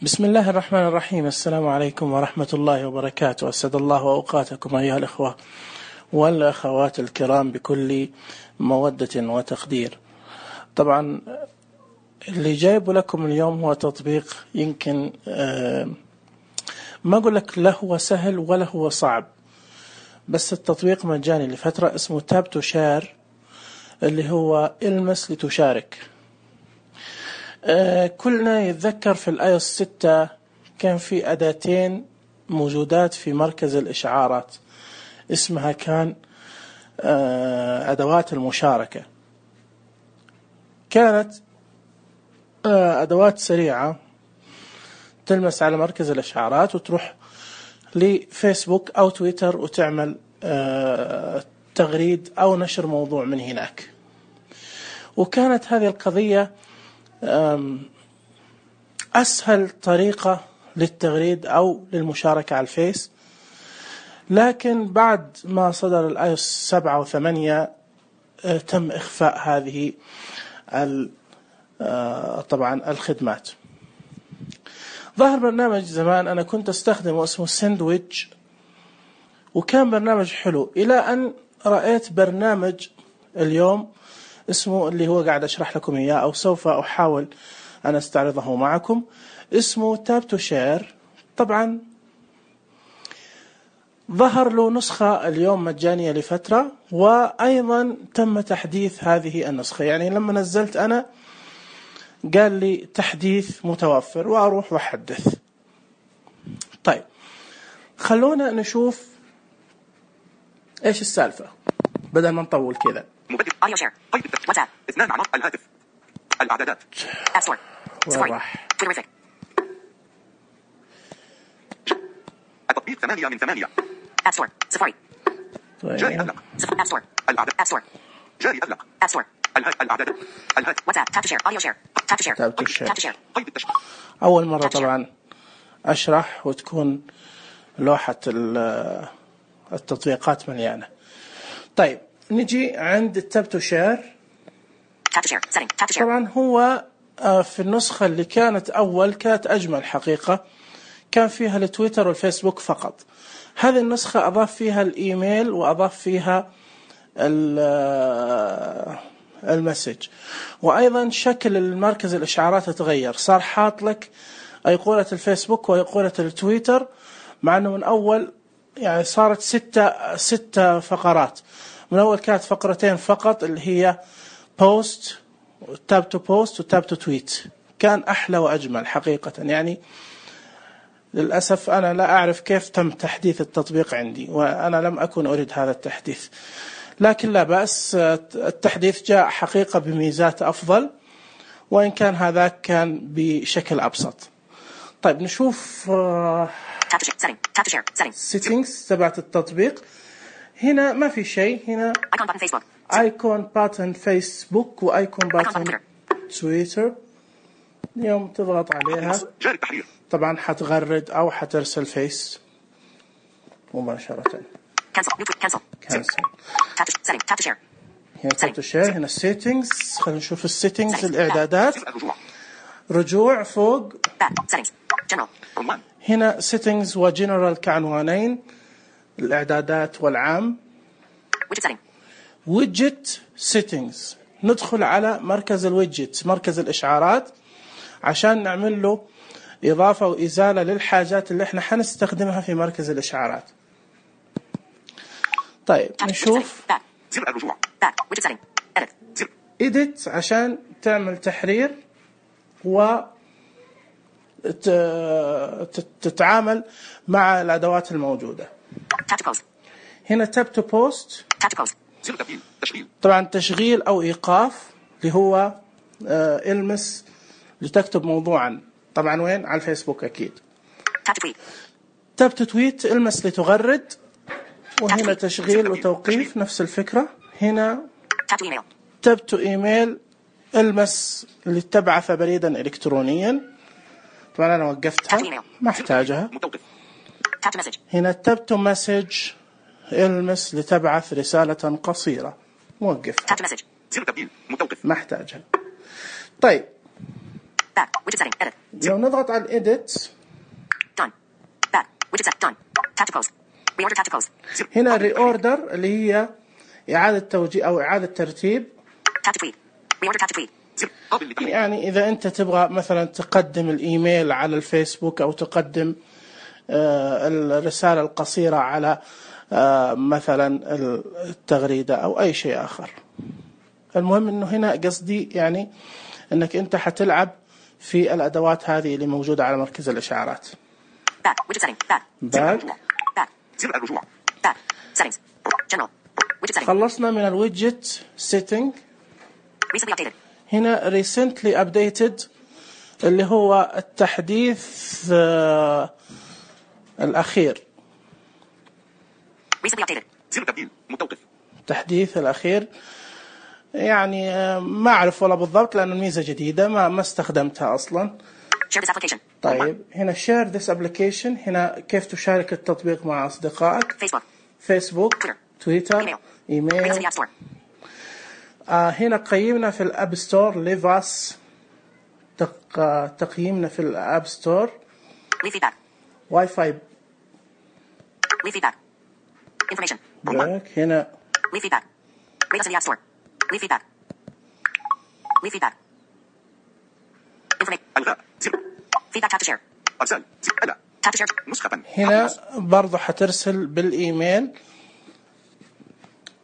بسم الله الرحمن الرحيم. السلام عليكم ورحمة الله وبركاته. أسعد الله أوقاتكم أيها الأخوة والأخوات الكرام بكل مودة وتقدير. طبعا اللي جايب لكم اليوم هو تطبيق يمكن ما أقول لك لا هو سهل ولا هو صعب، بس التطبيق مجاني لفترة، اسمه تاب تو شير، اللي هو المس لتشارك. كلنا يتذكر في iOS 6 كان في أداتين موجودات في مركز الإشعارات، اسمها كان أدوات المشاركة. كانت أدوات سريعة تلمس على مركز الإشعارات وتروح لفيسبوك أو تويتر وتعمل تغريد أو نشر موضوع من هناك. وكانت هذه القضية أسهل طريقة للتغريد أو للمشاركة على الفيس، لكن بعد ما صدر iOS 7 و8 تم إخفاء هذه طبعا الخدمات. ظهر برنامج زمان أنا كنت أستخدمه اسمه ساندويتش، وكان برنامج حلو، إلى أن رأيت برنامج اليوم اسمه اللي هو قاعد أشرح لكم إياه، أو سوف أحاول أن أستعرضه معكم، اسمه تاب تو شير. طبعا ظهر له نسخة اليوم مجانية لفترة، وأيضا تم تحديث هذه النسخة. يعني لما نزلت أنا قال لي تحديث متوفر، وأروح وأحدث. طيب خلونا نشوف إيش السالفة بدل ما نطول كذا. اوديو شير، واتساب، اثنان مع الهاتف، الاعدادات، اب ستور، سفاري، تويتريفيك، التطبيق 8 من 8، اب ستور، سفاري، جاري اغلق، اب ستور، الاعداد، اب ستور، جاري اغلق، اب ستور، الاعدادات، الهاتف، واتساب، تاب تو شير، اوديو شير، تاب تو شير، تاب تو شير، قيد التشبيه. اول مرة طبعا اشرح وتكون لوحة التطبيقات مليانة. طيب نجي عند التاب تو شير. طبعا هو في النسخة اللي كانت أول كانت أجمل حقيقة، كان فيها التويتر والفيسبوك فقط. هذه النسخة أضاف فيها الإيميل وأضاف فيها المسج، وأيضا شكل المركز الإشعارات تغير، صار حاط لك أيقونة الفيسبوك وأيقونة التويتر، مع أنه من أول يعني صارت ستة فقرات. من أول كانت فقرتين فقط، اللي هي بوست وتاب تو بوست وتاب تو تويت. كان أحلى وأجمل حقيقة. يعني للأسف أنا لا أعرف كيف تم تحديث التطبيق عندي، وأنا لم أكن أريد هذا التحديث، لكن لا بأس، التحديث جاء حقيقة بميزات أفضل، وإن كان هذاك كان بشكل أبسط. طيب نشوف settings تبعت التطبيق. هنا ما في شيء، هنا ايكون باتن فيسبوك وايكون باتن تويتر. اليوم تضغط عليها طبعا حتغرد او حترسل فيس مباشرة. كنسل. هنا تاب تو شير، هنا السيتنجز. خلينا نشوف السيتنجز، الاعدادات، رجوع فوق. هنا سيتنجز وجنرال كعنوانين، الاعدادات والعام. ويدجت سيتنجز، ندخل على مركز الويدجت، مركز الإشعارات، عشان نعمل له إضافة وإزالة للحاجات اللي احنا حنستخدمها في مركز الإشعارات. طيب نشوف إديت عشان تعمل تحرير وتتعامل مع الأدوات الموجودة. هنا تاب تو بوست، طبعا تشغيل أو إيقاف، اللي هو المس لتكتب موضوعا، طبعا وين؟ على الفيسبوك أكيد. تاب تو تويت، المس لتغرد. وهنا تشغيل وتوقيف، نفس الفكرة. هنا تاب تو إيميل، المس لتبعث بريدا إلكترونيا، طبعا أنا وقفتها ما احتاجها. هنا تاب تو مسج، المس لتبعث رسالة قصيرة، موقفها ما احتاجها. طيب Back. Widget setting. Edit. لو نضغط على الإيديت Done. Back. Widget set. Done. Tap to close. Reorder. Tap to close. هنا ريوردر اللي هي إعادة توجيه أو إعادة ترتيب. Tap to tweet. Reorder. Tap to tweet. يعني إذا أنت تبغى مثلا تقدم الإيميل على الفيسبوك أو تقدم الرسالة القصيرة على مثلا التغريدة أو أي شيء آخر. المهم إنه هنا قصدي يعني إنك أنت حتلعب في الأدوات هذه اللي موجودة على مركز الإشعارات. Back. Widget setting. Back. Back. Back. زر الرجوع. Back. Settings. General. Widget setting. خلصنا من الويدجت setting. Recently updated. هنا recently updated اللي هو التحديث الأخير. Recently updated. زر تبديل متوقف. التحديث الأخير يعني ما أعرف والله بالضبط لأن الميزة جديدة ما استخدمتها أصلا. Share this application. طيب هنا share this application. هنا كيف تشارك التطبيق مع أصدقائك. فيسبوك تويتر إيميل. هنا قيمنا في الأب ستور. ليفاس تقييمنا في الأب ستور. واي فاي. Information. هنا Leave feedback. Rate us in the App Store. Leave feedback. Leave feedback. Information. Feedback. Tap to share. أرسال. ألا. Tap to share. نسخة. هنا برضو حترسل بالإيميل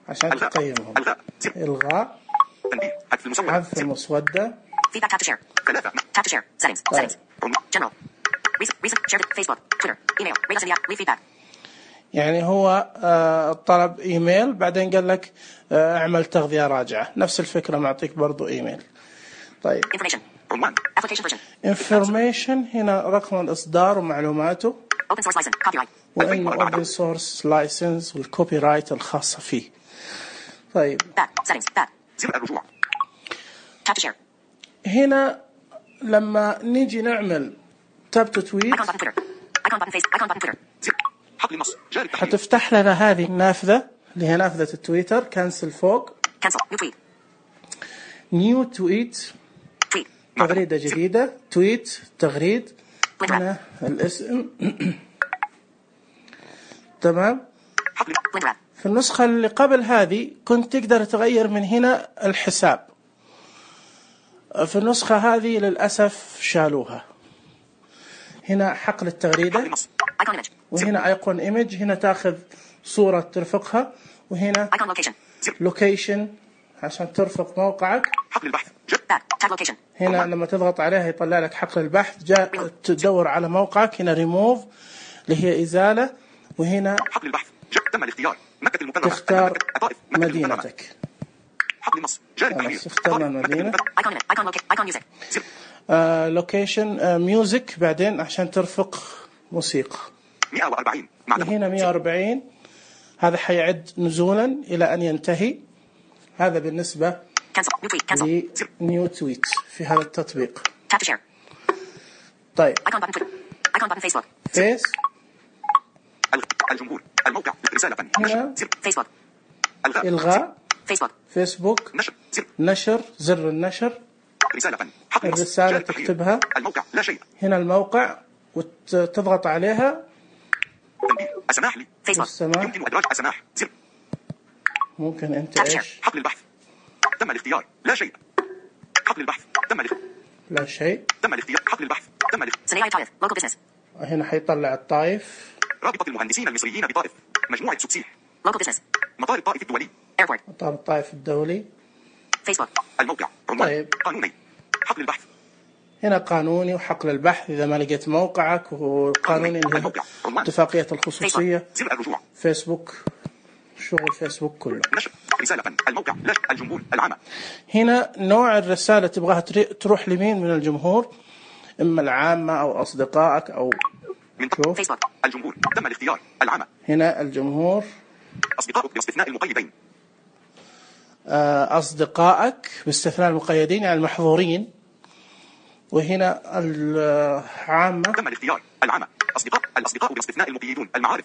عشان تقيمهم. إلغاء. تنبيه. حذف المسودة. حذف المسودة. Feedback. Tap to share. Tap to share. Settings. Settings. General. Recent. Share Facebook. Twitter. Email. Rate us in the app. Leave feedback. يعني هو طلب إيميل بعدين قال لك اعمل تغذية راجعة. نفس الفكرة معطيك برضو إيميل. طيب. Information. Application version. Information هنا رقم الإصدار ومعلوماته. Open source license. Copyright. وإنه open source license والكوبي رايت الخاصة فيه. طيب. Back. Settings. Back. زر الرجوع. Tap to share. هنا لما نيجي نعمل تاب تو تويت. Icon button Twitter. Icon button face. Icon button Twitter. حقل النص. جاري التحديث. حتفتح لنا هذه النافذة اللي هي نافذة التويتر. كنسل فوق. Cancel. New tweet. نيو تويت. Tweet. تغريدة جديدة. تويت تغريد. هنا الاسم. تمام. Blender app. في النسخة اللي قبل هذه كنت تقدر تغير من هنا الحساب. في النسخة هذه للأسف شالوها. هنا حقل التغريدة. Icon image. وهنا ايقون ايمج. هنا تاخذ صورة ترفقها. وهنا Icon location. لوكيشن عشان ترفق موقعك. حقل البحث. Back. Tab location. هنا لما تضغط عليها يطلع لك حقل البحث. تدور على موقعك. هنا ريموف اللي هي إزالة. وهنا حقل البحث. تم الاختيار. مكة المكرمة. تختار مدينتك. حقل النص. جاري التحرير. اخترنا المدينة. Icon image. Icon locate. Icon music. لوكيشن ميوزك بعدين عشان ترفق موسيقى. 140. هنا 140. هذا حيعد نزولا إلى أن ينتهي. هذا بالنسبة Cancel. New tweet. Cancel. لنيو تويت في هذا التطبيق. Tap to share. طيب. Icon button Twitter. Icon button Facebook. فيس. الجمهور. الموقع. رسالة. هنا Facebook. إلغاء. Facebook. فيسبوك. نشر. نشر. زر النشر. رسالة. الرسالة تكتبها. الموقع. لا شيء. هنا الموقع وتضغط عليها. تنبيه. السماح لي. السماح. يمكن إدراج السماح. زر. ممكن أنت إيش؟ حقل البحث. تم الاختيار. لا شيء. حقل البحث. تم الاختيار. لا شيء. تم الاختيار. حقل البحث. تم الاختيار. Sinai Taif. Local business. هنا حيطلع الطائف. رابطة المهندسين المصريين بطائف. مجموعة سبسيح. Local business. مطار الطائف الدولي. Airport. مطار الطائف الدولي. Facebook. الموقع. عنوان. طيب. قانوني. حقل البحث. هنا قانوني وحقل البحث إذا ما لقيت موقعك. وقانوني اتفاقية الخصوصية. زر الرجوع. فيسبوك. شغل فيسبوك كله. نشر. رسالة. الموقع. لا الجمهور. العامة. هنا نوع الرسالة تبغاها تروح لمين من الجمهور. إما العامة أو أصدقائك أو شوف. فيسبوك. الجمهور. تم الاختيار. العامة. هنا الجمهور. أصدقائك باستثناء المقيدين. أصدقائك باستثناء المقيدين يعني المحظورين. وهنا العامة. تم الاختيار. العامة. الأصدقاء باستثناء المقيدون. المعارف.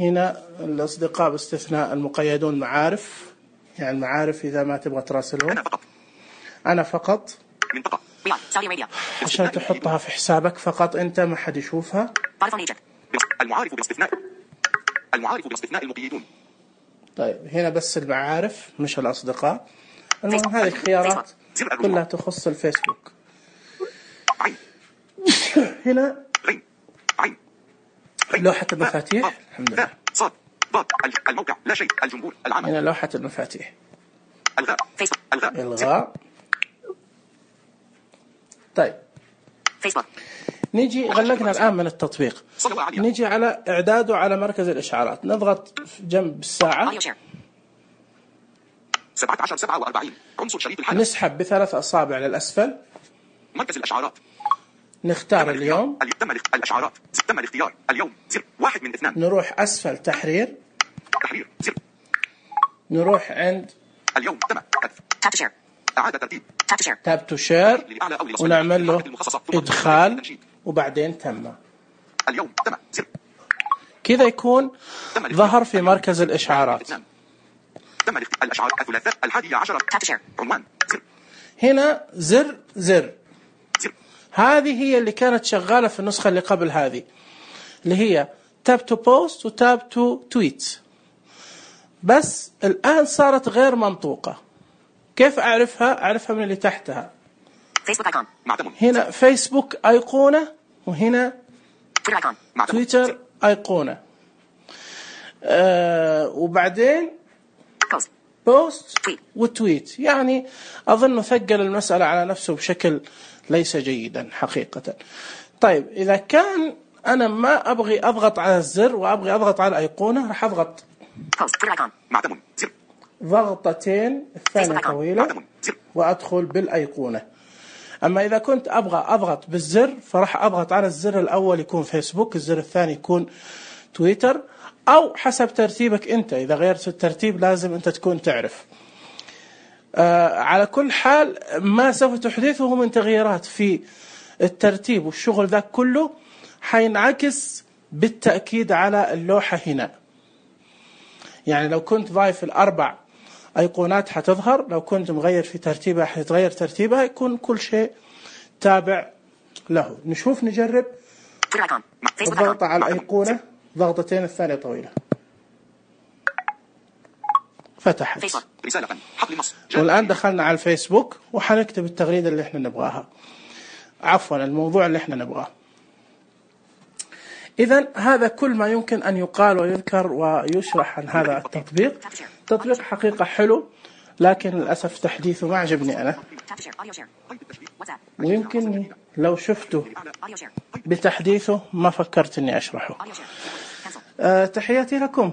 هنا الأصدقاء باستثناء المقيدون معارف. يعني المعارف إذا ما تبغى تراسلهم. أنا فقط. أنا فقط. منطقة رياض سعودي أرابيا عشان تحطها في حسابك فقط أنت، ما حد يشوفها. المعارف بالاصطفناء المقيدون. طيب هنا بس المعارف مش الأصدقاء. المهم هذه الخيارات كلها تخص الفيسبوك. هنا لوحة المفاتيح. الحمد لله. صاد ضاد الموقع لا شيء الجمهور العمل. هنا لوحة المفاتيح. الغاء فيسبوك الغاء. طيب فيسبوك. نيجي غلقنا الآن من التطبيق، نيجي على إعداده على مركز الإشعارات. نضغط جنب الساعة 17:47 عنصر شريط الحدث. نسحب ب3 أصابع للأسفل. مركز الإشعارات. نختار اليوم. تم الإشعارات. تم الاختيار. اليوم زر 1 من 2. نروح أسفل تحرير. تحرير زر. نروح عند اليوم تم حذف. إعادة ترتيب. تاب تو شير ونعمل له إدخال وبعدين تم. اليوم تم زر. كذا يكون ظهر في مركز الإشعارات. تم الإشعار الثلاثاء 11 عنوان زر. هنا زر. هذه هي اللي كانت شغالة في النسخة اللي قبل هذه، اللي هي تاب تو بوست وتاب تو تويت، بس الآن صارت غير منطوقة. كيف أعرفها؟ أعرفها من اللي تحتها. فيسبوك ايكون. هنا فيسبوك أيقونة، وهنا تويتر أيقونة. وبعدين بوست وتويت. يعني أظن ثقل المسألة على نفسه بشكل ليس جيدا حقيقة. طيب إذا كان أنا ما أبغي أضغط على الزر وأبغي أضغط على الأيقونة، راح أضغط ضغطتين، الثانية طويلة، وأدخل بالأيقونة. أما إذا كنت أبغى أضغط بالزر فراح أضغط على الزر الأول يكون فيسبوك، الزر الثاني يكون تويتر، أو حسب ترتيبك أنت. إذا غيرت الترتيب لازم أنت تكون تعرف. على كل حال ما سوف تحدثه من تغييرات في الترتيب والشغل ذاك كله حينعكس بالتأكيد على اللوحة هنا. يعني لو كنت ضايف 4 أيقونات حتظهر، لو كنت مغير في ترتيبها حيتغير ترتيبها، يكون كل شيء تابع له. نشوف نجرب. الضغط على الأيقونة ضغطتين، الثانية طويلة، فتحت. والآن دخلنا على الفيسبوك وحنكتب التغريدة اللي احنا نبغاها، عفوا الموضوع اللي احنا نبغاه. إذن هذا كل ما يمكن أن يقال ويذكر ويشرح عن هذا التطبيق. تطبيق حقيقة حلو، لكن للأسف تحديثه ما عجبني أنا، ويمكن لو شفته بتحديثه ما فكرت أني أشرحه. تحياتي لكم.